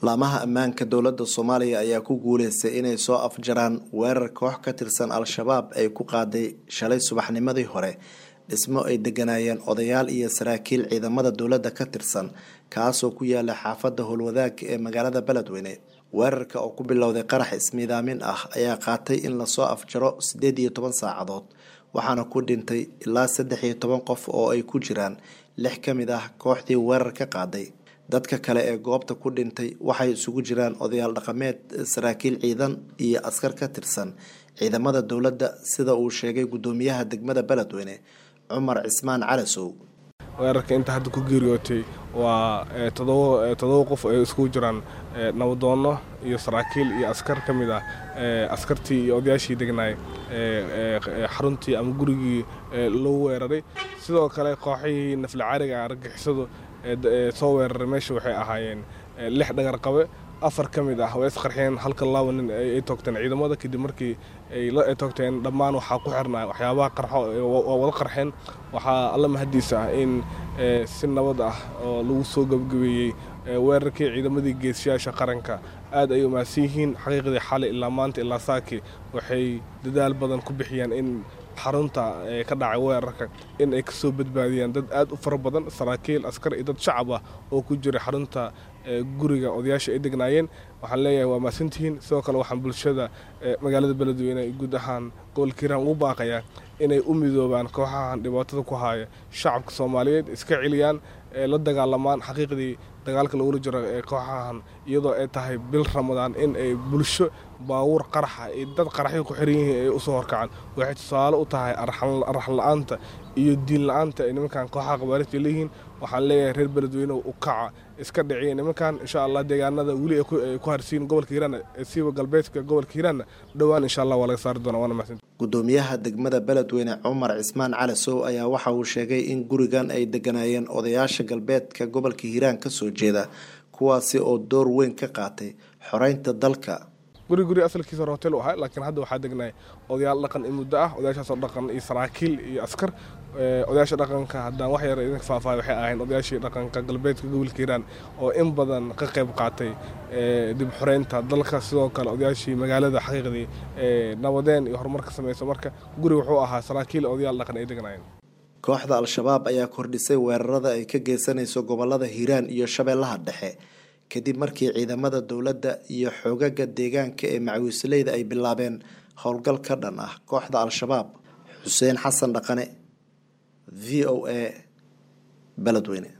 Laamaha ammaanka dowladda Soomaaliya ayaa ku guuleystay inay soo afjaraan weerar koox ka tirsan Al-shabaab ay ku qaaday shalay subaxnimadii hore dhismo ay degganaayeen odayaal iyo saraakiil ciidamada dowladda ka tirsan kaasoo ku yaala xaafadda Howlwadaag ee magaalada Beledweyne. Weerarka oo ku bilowday qarax ismiidaamin ah ayaa qaatay in lasoo afjaro 18 saacadood waxaana ku dhintay ilaa 13 qof oo ay ku jiraan 6 ka mid ah kooxdii weerarka qaaday. Dadka kale ee goobta ku dhintay waxay isugu jiraan odayaal dhaqameed, saraakiil ciidan iyo askar ka tirsan ciidamada dowladda sida uu sheegay guddoomiyaha degmada Beledweyne Cumar Cismaan Calasow. Weerarka inta hadda ku geeriyootay waa 7 qof ay iskugu jiraan nabadoonno iyo saraakiil iyo askar ka mid ah askartii iyo odayaashii degnaay xaruntii ama gurigii loo weeraray. Sidoo kale kooxihii naflacaariga argagixisadu soo weeraray meesha waxay ahaayeen 6 dhagar qabe, 4 ka mid ah way isqarxiyeen, halka 2 nin ay toogteen ciidamada. Kadib markii ay toogteen dhammaan waxaa ku xirnaa waxyaabaha qarxo, waa wada qarxeen. Waxaa alla mahadiisa ah in si nabad ah oo lagu soo gabagabeeyey weerarkii. Ciidamadii geesiyaasha qaranka aad ay u mahadsan yihiin. Xaqiiqdii xalay ilaa maanta ilaa saaki waxay dadaal badan ku bixiyeen in xarunta ka dhacay weerarka in ay kasoo badbaadiyaan dad aad u fara badan, saraakiil, askar iyo dad shacab ah oo ku jiray xarunta guriga odayaasha ay degnaayeen. Waxaan leeyahay waa mahadsantihiin. Sidoo kale waxaan bulshada magaalada Beledweyne guud ahaan gobolka Hiiraan ugu baaqayaa inay u midoobaan kooxahan dhibaatada ku haya shacabka Soomaaliyeed, iska celiyaan, la dagaalamaan. Xaqiiqdii dagaalka lagula jiro ee kooxahan, iyadoo ay tahay bil Ramadaan, in ay bulsho baabuur qaraxa iyo dad qaraxyo ku xiran yihiin ay usoo horkacaan waxay tusaale u tahay arxan la-aanta iyo diin la-aanta ay nimankan kooxaha qabaarijta leeyihiin. Waxaan leeyahay reer Beledweyne, u kaca, iska dhiciya nimankan insha Allah. Deegaanada weli ay ku harsiin gobolka Hiiraan, siiba galbeedka gobolka Hiiraanna, dhowaan insha Allah waa laga saari doonaa. Waana mahadsan. Guddoomiyaha degmada Beledweyne Cumar Cismaan Calasow ayaa waxa uu sheegay in gurigan ay degganaayeen odayaasha galbeedka gobolka Hiiraan kasoo jeeda, kuwaasi oo door weyn ka qaatay xoreynta dalka. Guri asalkiisa hore hotel u ahaa, laakiin hadda waxaa degnaay odayaal dhaqan in muddo ah, odayaashaasoo dhaqan iyo saraakiil iyo askar. Odayaasha dhaqanka haddaan wax yar idinka faahfaahay, waxay ahayn odayaashii dhaqanka galbeedka gobolka Hiiraan oo in badan ka qayb qaatay dib xoreynta dalka. Sidoo kale odayaashii magaalada xaqiiqdii nabadeen iyo horumar ka sameysa. Marka guri wuxuu ahaa saraakiil odayaal dhaqan ay degnaayeen. Kooxda Al-shabaab ayaa kordhisay weerarada ay ka geysanayso gobolada Hiiraan iyo Shabeellaha Dhexe kadib markii ciidamada dowladda iyo xoogaga deegaanka ee macawiisleyda ay bilaabeen howlgal ka dhan ah kooxda Al-shabaab. Xuseen Xasan Dhaqane, VOA, Beledweyne.